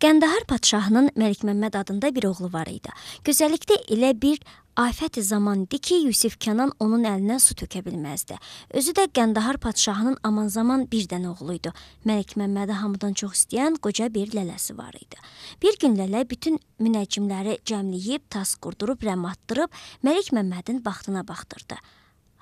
Qəndahar padşahının Məlikməmməd adında bir oğlu var idi. Gözəllikdə elə bir afət zaman idi ki, Yusif Kənan onun əlindən su tökə bilməzdi. Özü də Qəndahar padşahının aman zaman bir dənə oğlu idi. Məlikməmmədi hamıdan çox istəyən qoca bir lələsi var idi. Bir gün lələ bütün münəccimləri cəmləyib, tas qurdurub, rəm atdırıb Məlikməmmədin baxtına baxdırdı.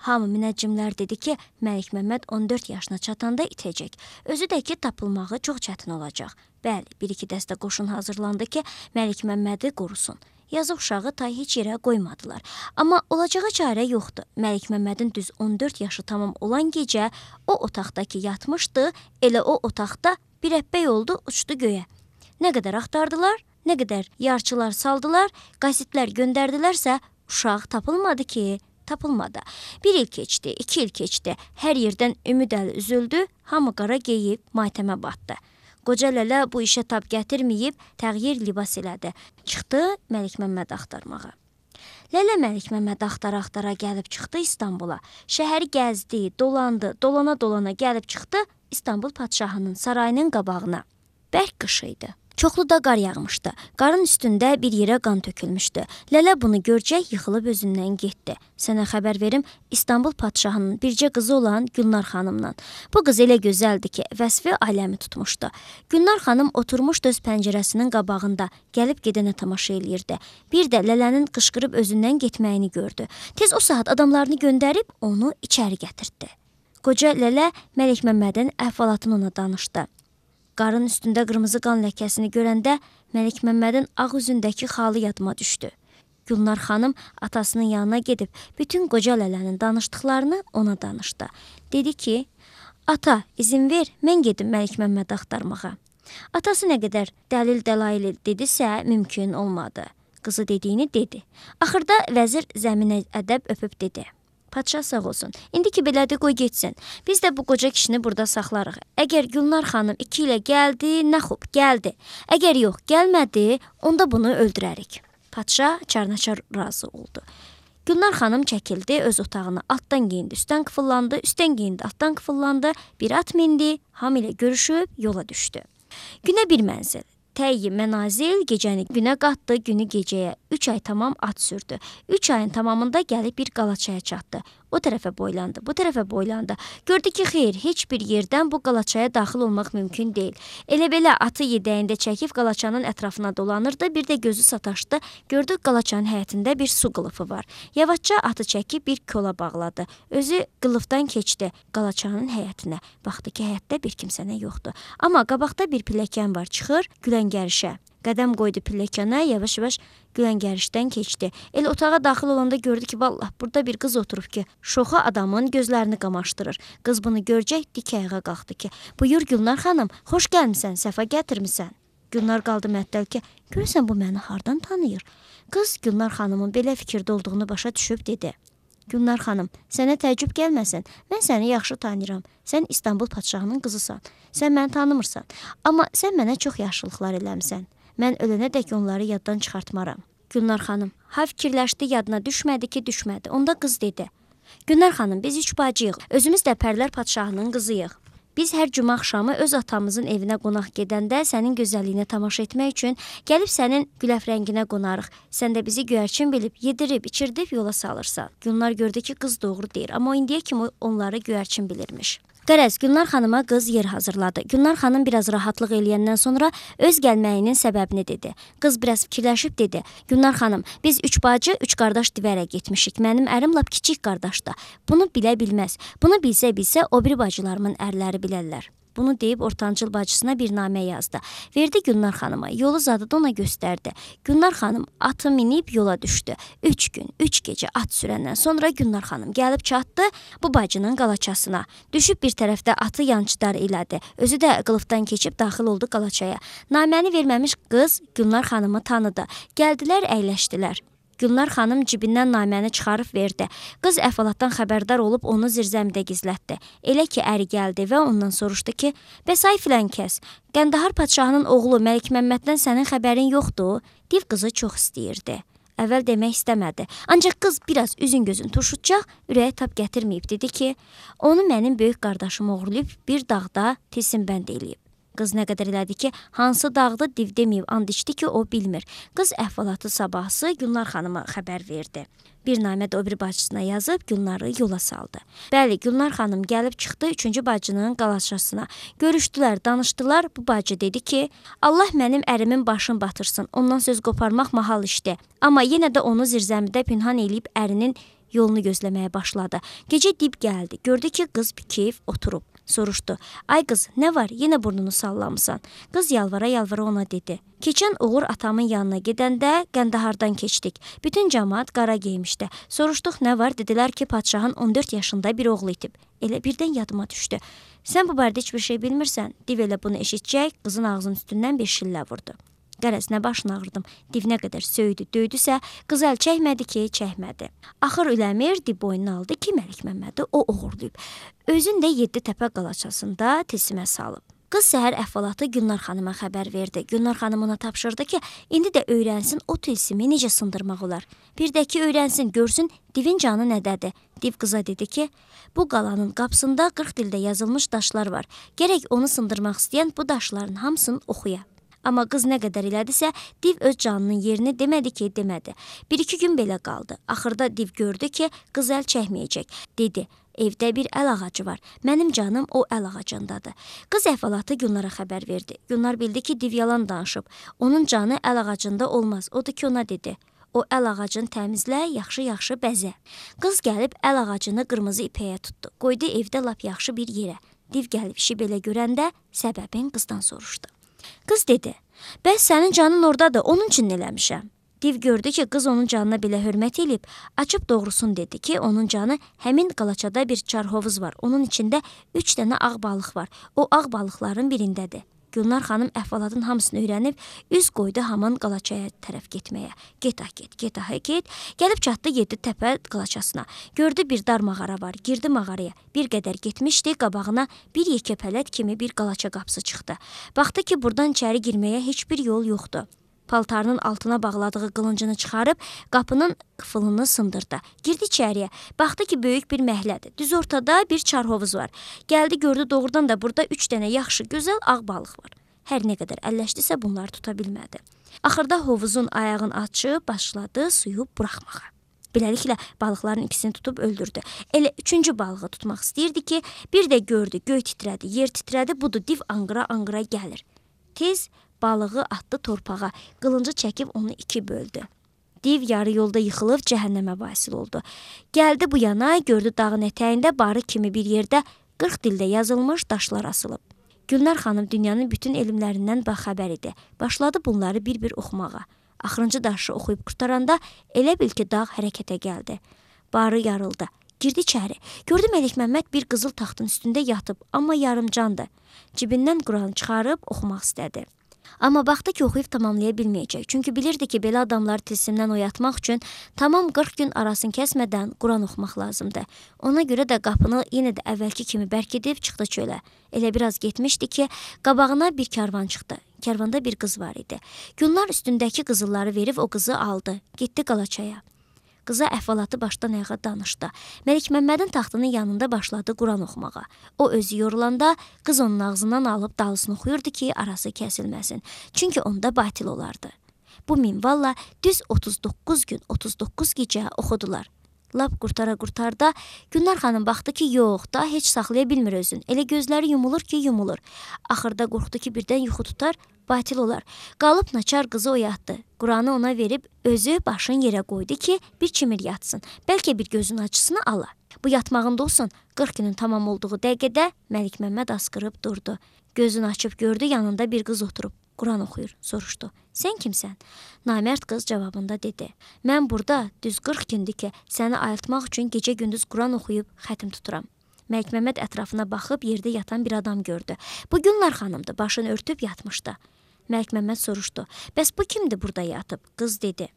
Hamı münəccimlər dedi ki, Məlikməmməd 14 yaşına çatanda itəcək. Özü də ki, tapılmağı çox çətin olacaq. Bəli, bir-iki dəstə qoşun hazırlandı ki, Məlikməmmədi qorusun. Yazıq uşağı tay heç yerə qoymadılar. Amma olacağı çarə yoxdur. Məlikməmmədin düz 14 yaşı tamam olan gecə o otaqda ki yatmışdı, elə o otaqda bir əppək oldu, uçdu göyə. Nə qədər axtardılar, nə qədər yarçılar saldılar, qasidlər göndərdilərsə, uşaq tapılmadı ki, tapılmadı. 1 il keçdi, 2 il keçdi, hər yerdən ümid əli üzüldü, hamı qara geyib matəmə batdı. Qoca lələ bu işə tab gətirməyib, təğyir libas elədi. Çıxdı Məlikməmməd axtarmağa. Lələ Məlikməmməd axtara-axtara gəlib çıxdı İstanbula. Şəhəri gəzdi, dolandı, dolana-dolana gəlib çıxdı İstanbul padşahının sarayının qabağına. Bərk qış idi. Çoxlu da qar yağmışdı. Qarın üstündə bir yerə qan tökülmüşdü. Lələ bunu görcək yıxılıb özündən getdi. Sənə xəbər verim, İstanbul padşahının bircə qızı olan Gülnar xanımla. Bu qız elə gözəldi ki, vəsfi aləmi tutmuşdu. Gülnar xanım oturmuşdu öz pəncərəsinin qabağında, gəlib gedənə tamaşa eləyirdi. Bir də Lələnin qışqırıb özündən getməyini gördü. Tez o saat adamlarını göndərib onu içəri gətirdi. Qoca Lələ Məlikməmmədin əhvalatını ona danışdı. Qarın üstündə qırmızı qan ləkəsini görəndə Məlikməmmədin ağ üzündəki xalı yadıma düşdü. Gülnar xanım atasının yanına gedib bütün qoca Lələnin danışdıqlarını ona danışdı. Dedi ki, ata izin ver, mən gedim Məlikməmmədi axtarmağa. Atası nə qədər dəlil-dəlail dedisə mümkün olmadı. Qızı dediyini dedi. Axırda vəzir zəminə ədəb öpüb dedi. Padşah sağ olsun. İndi ki belədir, qoy getsin. Biz də bu qoca kişini burada saxlarıq. Əgər Gülnar xanım 2 ilə gəldi, nə xub, gəldi. Əgər yox, gəlmədi, onda bunu öldürərik. Padşah çarnaçar razı oldu. Gülnar xanım çəkildi, öz otağına altdan geyindi, üstdən qıfıllandı, üstdən geyindi, altdan qıfıllandı, bir at mindi, hamı ilə görüşüb yola düşdü. Günə bir mənzil. Təyyi mənazil gecəni günə qatdı, günü gecəyə. 3 ay tamam at sürdü. 3 ayın tamamında gəlib bir qalaçaya çatdı. O tərəfə boylandı, bu tərəfə boylandı. Gördü ki, xeyr, heç bir yerdən bu qalaçaya daxil olmaq mümkün deyil. Elə belə atı yedəyində çəkib qalaçanın ətrafına dolanırdı, bir də gözü sataşdı. Gördü qalaçanın həyətində bir su qılıfı var. Yavaşca atı çəkib bir kola bağladı. Özü qılıfdan keçdi qalaçanın həyətinə. Baxdı ki, həyətdə bir kimsənə yoxdur. Amma qabaqda bir pilləkən var, çıxır Güləngərişə. Qədəm qoydu pilləkənə, yavaş-yavaş Güləngərişdən keçdi. Elə otağa daxil olanda gördü ki, vallah, burada bir qız oturub ki, şoxa adamın gözlərini qamaşdırır. Qız bunu görcək dik ayağa qalxdı ki, buyur Gülnar xanım, xoş gəlmisən, səfa gətirmisən. Gülnar qaldı məttəl ki, görürsən bu məni hardan tanıyır? Qız Gülnar xanımın belə fikirdə olduğunu başa düşüb dedi. Gülnar xanım, sənə təəccüb gəlməsin, mən səni yaxşı tanıyıram. Sən İstanbul padşahının qızısan, sən məni tanımırsan, amma sən mənə çox yaxşılıqlar eləmisən. Mən ölənədək onları yaddan çıxartmaram. Gülnar xanım, ha fikirləşdi, yadına düşmədi ki, düşmədi. Onda qız dedi. Gülnar xanım, biz 3 bacıyıq, özümüz də Pərlər padşahının qızıyıq. Biz hər cümə axşamı öz atamızın evinə qonaq gedəndə sənin gözəlliyinə tamaşa etmək üçün gəlib sənin güləfrənginə qonarıq. Sən də bizi göyərçin bilib, yedirib, içirdib yola salırsan. Gülnar gördü ki, qız doğru deyir, amma indiyə kimi onları göyərçin bilirmiş. Qərəz, Gülnar xanıma qız yer hazırladı. Gülnar xanım biraz rahatlıq eləyəndən sonra öz gəlməyinin səbəbini dedi. Qız biraz fikirləşib dedi. Gülnar xanım, biz 3 bacı, 3 qardaş divərə getmişik. Mənim ərim lap kiçik qardaşdır. Bunu bilə bilməz. Bunu bilsə o biri bacılarımın ərləri bilərlər. Bunu deyib ortancıl bacısına bir namə yazdı. Verdi Gülnar xanıma, yolu zadı da ona göstərdi. Gülnar xanım atı minib yola düşdü. 3 gün, 3 gecə at sürəndən sonra Gülnar xanım gəlib çatdı bu bacının qalaçasına. Düşüb bir tərəfdə atı yançıdar elədi. Özü də qılıfdan keçib daxil oldu qalaçaya. Naməni verməmiş qız Gülnar xanımı tanıdı. Gəldilər, əyləşdilər. Gülnar xanım cibindən naməni çıxarıb verdi. Qız əhvalatdan xəbərdar olub onu zirzəmidə gizlətdi. Elə ki, əri gəldi və ondan soruşdu ki, bəs ay filan kəs, Qəndahar padşahının oğlu Məlikməmməddən sənin xəbərin yoxdur? Div qızı çox istəyirdi. Əvvəl demək istəmədi. Ancaq qız biraz üzün gözün turşutcaq, ürəyə tab gətirməyib dedi ki, onu mənim böyük qardaşım oğurlayıb bir dağda tilsimbənd eləyib. Qız nə qədər elədi ki, hansı dağdı div deməyib, and içdi ki, o bilmir. Qız əhvalatı sabahsı Gülnar xanıma xəbər verdi. Bir namə də o bir bacısına yazıb Gülnarı yola saldı. Bəli, Gülnar xanım gəlib çıxdı 3-cü bacının qalaçasına. Görüşdülər, danışdılar. Bu bacı dedi ki, Allah mənim ərimin başını batırsın. Ondan söz qoparmaq mahal işdir. Amma yenə də onu zirzəmidə pünhan eləyib ərinin yolunu gözləməyə başladı. Gecə dib gəldi. Gördü ki, qız keyif oturub. Soruşdu. Ay qız, nə var? Yenə burnunu sallamısan. Qız yalvara-yalvara ona dedi. Keçən uğur atamın yanına gedəndə Qəndahardan keçdik. Bütün cəmaat qara geymişdi. Soruşduq nə var? Dedilər ki, padşahın 14 yaşında bir oğlu itib. Elə birdən yadıma düşdü. Sən bu barədə heç bir şey bilmirsən. Div elə bunu eşitcək, qızın ağzının üstündən bir şillə vurdu. Qərəz nə başını ağrıdım. Div nə qədər söydü, döydüsə, qız əl çəkmədi ki, çəkmədi. Axır üləmir, div boynuna aldı ki, Məlik Məmmədi o uğurlayıb. Özün də 7 təpə qalaçasında tilsimə salıb. Qız səhər əhvalatı Gülnar xanıma xəbər verdi. Gülnar xanım ona tapşırdı ki, indi də öyrənsin o tilsimi necə sındırmaq olar. Bir də ki, öyrənsin, görsün divin canı nədədir. Div qıza dedi ki, bu qalanın qapısında 40 dildə yazılmış daşlar var. Gərək onu sındırmaq istəyən bu daşların hamısını oxuya. Amma qız nə qədər elədisə, div öz canının yerini demədi ki, demədi. 1-2 gün belə qaldı. Axırda div gördü ki, qız əl çəkməyəcək. Dedi, evdə bir əl ağacı var. Mənim canım o əl ağacındadır. Qız əhvalatı Gülnara xəbər verdi. Gülnar bildi ki, div yalan danışıb. Onun canı əl ağacında olmaz. Odur ki, ona dedi. O əl ağacını təmizlə, yaxşı-yaxşı bəzə. Qız gəlib əl ağacını qırmızı ipəyə tutdu. Qoydu evdə lap yaxşı bir yerə. Div gəlib işi belə görəndə səbəbin qızdan soruşdu. Qız dedi, bəs sənin canın oradadır, onun üçün eləmişəm. Div gördü ki, qız onun canına belə hörmət eləyib, açıb doğrusun dedi ki, onun canı həmin qalaçada bir çarhovuz var. Onun içində 3 dənə ağ balıq var. O ağ balıqların birindədir. Gülnar xanım əhvalatın hamısını öyrənib, üz qoydu haman qalaçaya tərəf getməyə. Get, get. Gəlib çatdı 7 təpə qalaçasına. Gördü bir dar mağara var, girdi mağaraya. Bir qədər getmişdi, qabağına bir yekə pələt kimi bir qalaça qapısı çıxdı. Baxdı ki, buradan içəri girməyə heç bir yol yoxdur. Paltarının altına bağladığı qılıncını çıxarıb, qapının qıfılını sındırdı. Girdi içəriyə. Baxdı ki, böyük bir məhlədir. Düz ortada bir çarhovuz var. Gəldi, gördü doğrudan da burada 3 dənə yaxşı, gözəl ağ balıq var. Hər nə qədər əlləşdisə bunları tuta bilmədi. Axırda hovuzun ayağını açıb, başladı suyu buraxmağa. Beləliklə, balıqların ikisini tutub öldürdü. Elə 3-cü balığı tutmaq istəyirdi ki, bir də gördü, göy titrədi, yer titrədi, budur div anqıra-anqıra gəlir. Tez balığı atdı torpağa, qılıncı çəkib onu 2 böldü. Div yarı yolda yıxılıb cəhənnəmə vasil oldu. Gəldi bu yana, gördü dağın ətəyində barı kimi bir yerdə 40 dildə yazılmış daşlar asılıb. Gülnar xanım dünyanın bütün elmlərindən baxəbər idi. Başladı bunları bir-bir oxumağa. Axırıncı daşı oxuyub qurtaranda elə bil ki, dağ hərəkətə gəldi. Barı yarıldı. Girdi içəri. Gördü Məlik Məmməd bir qızıl taxtın üstündə yatıb, amma yarımcandı. Cibindən Quranı çıxarıb oxumaq istədi. Amma baxdı ki, oxuyub tamamlaya bilməyəcək. Çünki bilirdi ki, belə adamları tilsimdən oyatmaq üçün tamam 40 gün arasını kəsmədən Quran oxumaq lazımdır. Ona görə də qapını yenə də əvvəlki kimi bərk edib çıxdı çölə. Elə biraz getmişdi ki, qabağına bir karvan çıxdı. Karvanda bir qız var idi. Gülnar üstündəki qızılları verib o qızı aldı. Getdi qalaçaya. Qıza əhvalatı başdan ayağa danışdı. Məlik Məmmədin taxtının yanında başladı Quran oxumağa. O özü yorulanda qız onun ağzından alıb dalısını oxuyurdu ki, arası kəsilməsin. Çünki onda batil olardı. Bu minvalla düz 39 gün, 39 gecə oxudular. Lap qurtara-qurtarda Gülnar xanım baxdı ki, yox, da heç saxlaya bilmir özün. Elə gözləri yumulur ki, yumulur. Axırda qorxdu ki, birdən yuxu tutar, batil olar. Qalıb naçar qızı oyatdı. Quranı ona verib özü başını yerə qoydu ki, bir çimir yatsın. Bəlkə bir gözün açısını ala. Bu yatmağında olsun. 40 günün tamam olduğu dəqiqədə Məlik Məmməd asqırıb durdu. Gözünü açıb gördü, yanında bir qız oturub. Quran oxuyur, soruşdu. Sən kimsən? Namərd qız cavabında dedi. Mən burada düz 40 gündür ki, səni ayıltmaq üçün gecə-gündüz Quran oxuyub xətim tuturam. Məlik Məmməd ətrafına baxıb yerdə yatan bir adam gördü. Bu Gülnar xanımdır, başını örtüb yatmışdı. Məlik Məmməd soruşdu. Bəs bu kimdir burada yatıb? Qız dedi.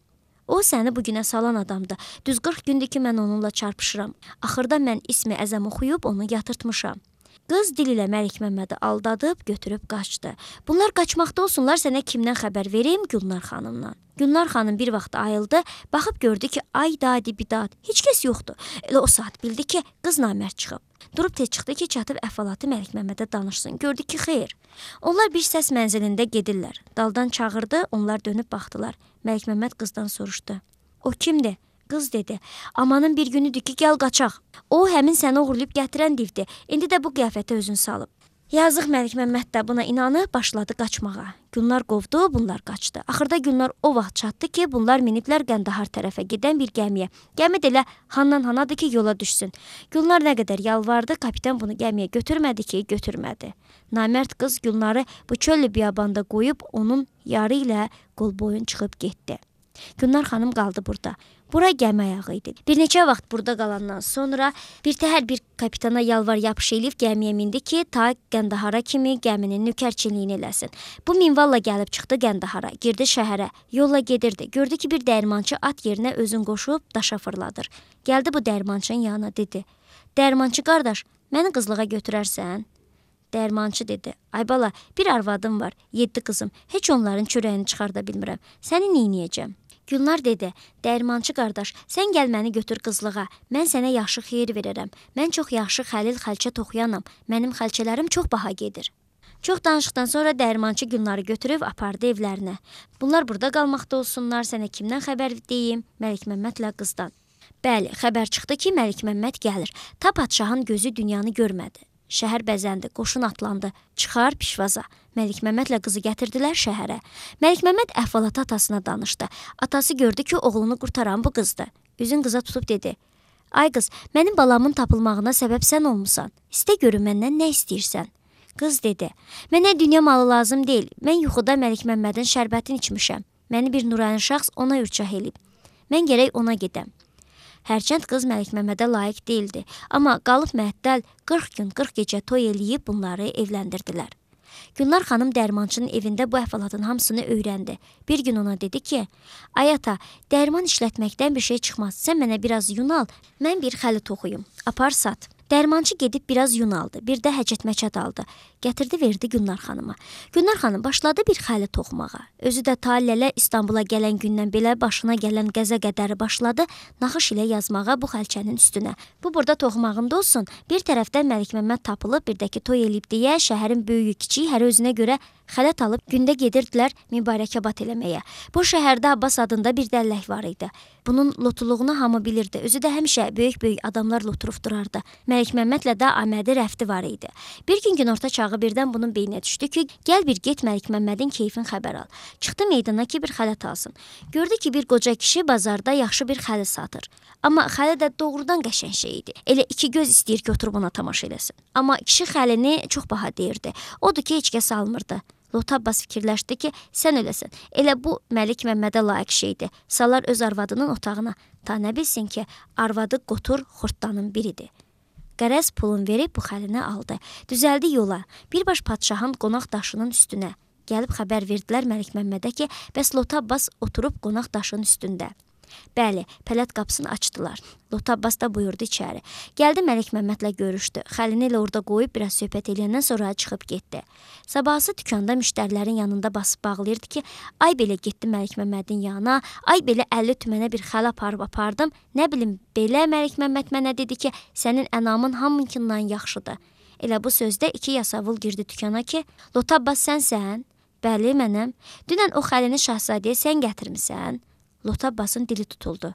O səni bugünə salan adamdır. Düz 40 gündür ki, mən onunla çarpışıram. Axırda mən ismi əzəm oxuyub onu yatırtmışam. Qız dil ilə Məlik Məmmədi aldadıb, götürüb qaçdı. Bunlar qaçmaqda olsunlar, sənə kimdən xəbər vereyim? Gülnar xanımdan. Gülnar xanım bir vaxt ayıldı, baxıb gördü ki, ay dadi bidad, heç kəs yoxdur. Elə o saat bildi ki, qız namərd çıxıb. Durub tez çıxdı ki, çatıb əhvalatı Məlikməmmədə danışsın. Gördü ki, xeyr. Onlar bir səs mənzilində gedirlər. Daldan çağırdı, onlar dönüb baxdılar. Məlikməmməd qızdan soruşdu. O kimdir? Qız dedi. Amanın bir günüdür ki, gəl qaçaq. O, həmin səni uğurlayıb gətirən divdir. İndi də bu qiyafətə özün salıb. Yazıq Məlikməmməd də buna inanıb başladı qaçmağa. Gülnar qovdu, bunlar qaçdı. Axırda Gülnar o vaxt çatdı ki, bunlar miniblər Qəndahar tərəfə gedən bir gəmiyə. Gəmi də elə handan hanadır ki, yola düşsün. Gülnar nə qədər yalvardı, kapitan bunu gəmiyə götürmədi ki, götürmədi. Namərd qız Gülnarı bu çöllü biyabanda qoyub onun yarı ilə qol boyun çıxıb getdi. Gülnar xanım qaldı burada. Bura gəmi ayağı idi. Bir neçə vaxt burada qalandan sonra bir təhər bir kapitana yalvar yapış eləyib gəmiyə mindi ki, ta Qəndahara kimi gəminin nökərçiliyini eləsin. Bu minvalla gəlib çıxdı Qəndahara, girdi şəhərə, yolla gedirdi. Gördü ki, bir dərmançı at yerinə özün qoşub daşa fırladır. Gəldi bu dərmançının yanına dedi. Dərmançı qardaş, məni qızlığa götürərsən? Dərmançı dedi. Ay bala, bir arvadım var, 7 qızım. Heç onların çörəyini çıxarda bilmirəm. Səni neyniyəcəm? Gülnar dedi, dərmançı qardaş, sən gəl məni götür qızlığa, mən sənə yaxşı xeyir verərəm. Mən çox yaxşı xəlil xəlçə toxuyanam, mənim xəlçələrim çox baha gedir. Çox danışıqdan sonra dərmançı Gülnarı götürüb apardı evlərinə. Bunlar burada qalmaqda olsunlar, sənə kimdən xəbər deyim? Məlikməmmədlə qızdan. Bəli, xəbər çıxdı ki, Məlikməmməd gəlir. Ta padşahın gözü dünyanı görmədi. Şəhər bəzəndi, qoşun atlandı, çıxar pişvaza. Məlikməmmədlə qızı gətirdilər şəhərə. Məlikməmməd əhvalatı atasına danışdı. Atası gördü ki, oğlunu qurtaran bu qızdır. Üzün qıza tutub dedi. Ay qız, mənim balamın tapılmağına səbəb sən olmusan. İstə görüm məndən nə istəyirsən? Qız dedi, mənə dünya malı lazım deyil. Mən yuxuda Məlikməmmədin şərbətini içmişəm. Məni bir nurani şəxs ona ürçah elib. Mən gərək ona gedəm. Hərçənd qız Məlikməmmədə layiq deyildi, amma qalıb məəttəl 40 gün 40 gecə toy eləyib bunları evləndirdilər. Gülnar xanım dərmançının evində bu əhvalatın hamısını öyrəndi. Bir gün ona dedi ki, ay ata, dərman işlətməkdən bir şey çıxmaz, sən mənə biraz yun al, mən bir xəli toxuyum, apar sat. Dərmançı gedib biraz yun aldı, bir də həcət-məçət aldı. Gətirdi, verdi Gülnar xanıma. Gülnar xanım başladı bir xəli toxumağa. Özü də ta lələ İstanbula gələn gündən belə başına gələn qəzə qədəri başladı, naxış ilə yazmağa bu xəlçənin üstünə. Bu burada toxumağında olsun, bir tərəfdən Məlikməmməd tapılıb, bir də ki toy eləyib deyə şəhərin böyüyü kiçiyi hər özünə görə xələt alıb gündə gedirdilər mübarəkəbat eləməyə. Bu şəhərdə Abbas adında bir dəllək var idi. Bunun lotuluğunu hamı bilirdi. Özü də həmişə böyük-böyük adamlar loturub durardı. Məlikməmmədlə də amədi rəfti var idi. Bir gün günorta çağı birdən bunun beyninə düşdü ki, gəl bir get Məlikməmmədin keyfin xəbər al. Çıxdı meydana ki, bir xələt alsın. Gördü ki, bir qoca kişi bazarda yaxşı bir xəli satır. Amma xəli də doğrudan qəşəng şey idi. Elə iki göz istəyir ki, oturub ona tamaşa eləsin. Amma kişi xəlini çox baha deyirdi. Odur ki, heç kəs almırdı. Lot Abbas fikirləşdi ki, sən öləsən. Elə bu Məlikməmmədə layiq şeydir. Salar öz arvadının otağına. Ta nə bilsin ki, arvadı qotur xortdanın biridir. Qərəz pulun verib bu xəlini aldı. Düzəldi yola. Birbaş padşahın qonaq daşının üstünə. Gəlib xəbər verdilər Məlikməmmədə ki, bəs Lot Abbas oturub qonaq daşının üstündə. Bəli, pələt qapısını açdılar. Lot Abbas da buyurdu içəri. Gəldi Məlikməmmədlə görüşdü. Xəlini elə orada qoyub biraz söhbət eləyəndən sonra çıxıb getdi. Sabahsı dükanda müştərilərin yanında basıb bağlayırdı ki, ay belə getdi Məlikməmmədin yanına, ay belə 50 tümənə bir xəl apardım. Nə bilim, belə Məlikməmməd mənə dedi ki, sənin ənamın hamınkindən yaxşıdır. Elə bu sözdə 2 yasavul girdi dükana ki, Lot Abbas sənsən? Bəli, mənəm. Dünən o xəlini şahzadəyə sən gətirmisən? Lot Abbasın dili tutuldu.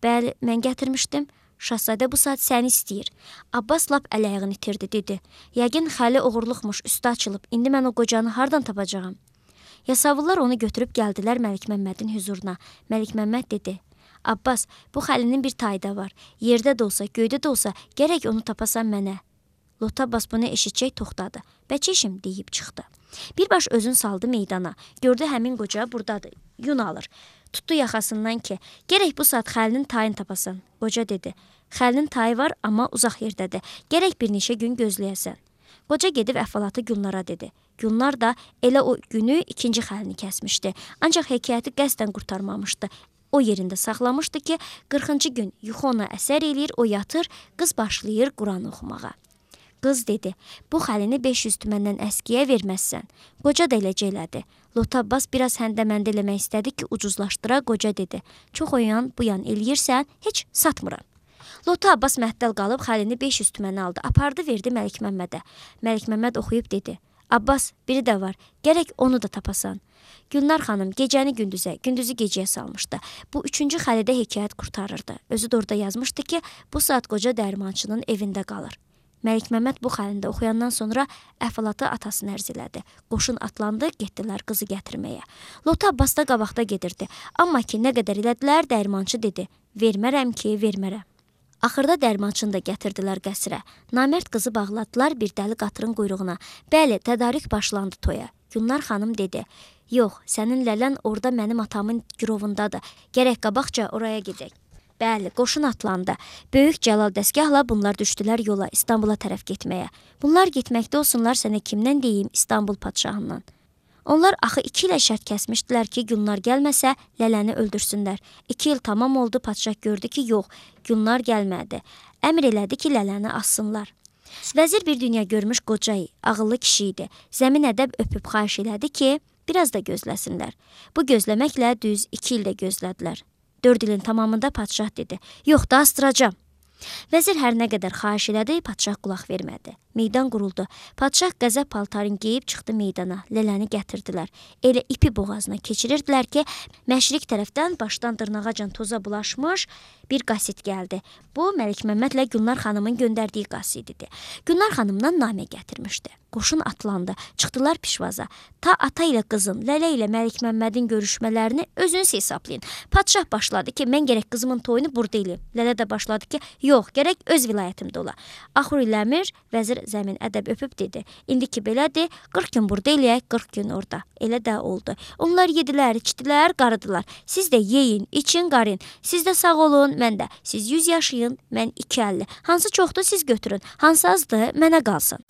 Bəli, mən gətirmişdim. Şahzadə bu saat səni istəyir. Abbas lap ələyağını itirdi, dedi. Yəqin xəli oğurluqmuş, üstü açılıb. İndi mən o qocanı hardan tapacağam? Yasavullar onu götürüb gəldilər Məlikməmmədin hüzuruna. Məlikməmməd dedi. Abbas, bu xəlinin bir tayı da var. Yerdə də olsa, göydə də olsa, gərək onu tapasan mənə. Lot Abbas bunu eşitcək toxtadı. Bəçəşim deyib çıxdı. Birbaş özün saldı meydana. Gördü həmin qoca buradadır. Yun alır. Tutdu yaxasından ki, gərək bu saat xəlinin tayını tapasan. Qoca dedi, xəlinin tayı var, amma uzaq yerdədir. Gərək bir neçə gün gözləyəsən. Qoca gedib əhvalatı Gülnara dedi. Gülnar da elə o günü 2-ci xəlini kəsmişdi. Ancaq hekayəti qəsdən qurtarmamışdı. O yerində saxlamışdı ki, 40-cı gün yuxu ona əsər eləyir, o yatır, qız başlayır Quran oxumağa. Qız dedi, bu xəlini 500 tüməndən əskiyə verməzsən. Qoca da eləcə elədi. Lot Abbas biraz həndəməndə eləmək istədi ki, ucuzlaşdıra, qoca dedi. Çox o yan bu yan eləyirsən, heç satmıram. Lotu Abbas məhdəl qalıb xəlini 500 tüməni aldı, apardı, verdi Məlik Məmmədə. Məlik Məmməd oxuyub dedi: Abbas, biri də var, gərək onu da tapasan. Gülnar xanım gecəni gündüzə, gündüzü gecəyə salmışdı. Bu 3-cü xəlidə hekayət qurtarırdı. Özü də orada yazmışdı ki, bu saat qoca dərmançının evində qalır. Məlik Məmməd bu xəlində oxuyandan sonra əhvalatı atasını ərz elədi. Qoşun atlandı, getdilər qızı gətirməyə. Lotu Abbas da qabaqda gedirdi. Amma ki, nə qədər elədilər, dərmançı dedi: vermərəm ki, vermərəm. Axırda dərmançını da gətirdilər qəsrə. Namərd qızı bağladılar bir dəli qatırın quyruğuna. Bəli, tədarük başlandı toya. Gülnar xanım dedi: yox, sənin lələn orada mənim atamın girovundadır. Gərək qabaqca oraya gedək. Bəli, qoşun atlandı. Böyük Cəlal dəstgahla bunlar düşdülər yola, İstanbula tərəf getməyə. Bunlar getməkdə olsunlar, sənə kimdən deyim, İstanbul padşahından. Onlar axı 2 ilə şərt kəsmişdilər ki, Gülnar gəlməsə, lələni öldürsünlər. 2 il tamam oldu, padşah gördü ki, yox, Gülnar gəlmədi. Əmr elədi ki, lələni assınlar. Vəzir bir dünya görmüş qocayı, ağıllı kişi idi. Zəmin ədəb öpüb xahiş elədi ki, biraz da gözləsinlər. Bu gözləməklə düz 2 ildə gözlədilər. 4 ilin tamamında padşah dedi: yox da astıracam. Vəzir hər nə qədər xahiş elədi, padşah qulaq vermədi. Meydan quruldu. Padşah qəzəb paltarını geyib çıxdı meydana. Lələni gətirdilər. Elə ipi boğazına keçirirdilər ki, məşriq tərəfdən başdan dırnağacan toza bulaşmış bir qasid gəldi. Bu, Məlik Məmmədlə Gülnar xanımın göndərdiyi qasid idi. Gülnar xanımdan namə gətirmişdi. Qoşun atlandı. Çıxdılar pişvaza. Ta ata ilə qızın, Lələ ilə Məlik Məmmədin görüşmələrini özünüz hesablayın. Padşah başladı ki, mən gərək qızımın toyunu burada eləyim. Lələ də başladı ki, yox, gərək öz vilayətimdə ola. Axur eləmir, vəzir zəmin ədəb öpüb dedi: İndi ki belədir, 40 gün burada eləyək, 40 gün orada. Elə də oldu. Onlar yedilər, içdilər, qarıdılar. Siz də yeyin, için, qarın. Siz də sağ olun, mən də. Siz 100 yaşayın, mən 250. Hansı çoxdur siz götürün, hansı azdır, mənə qalsın.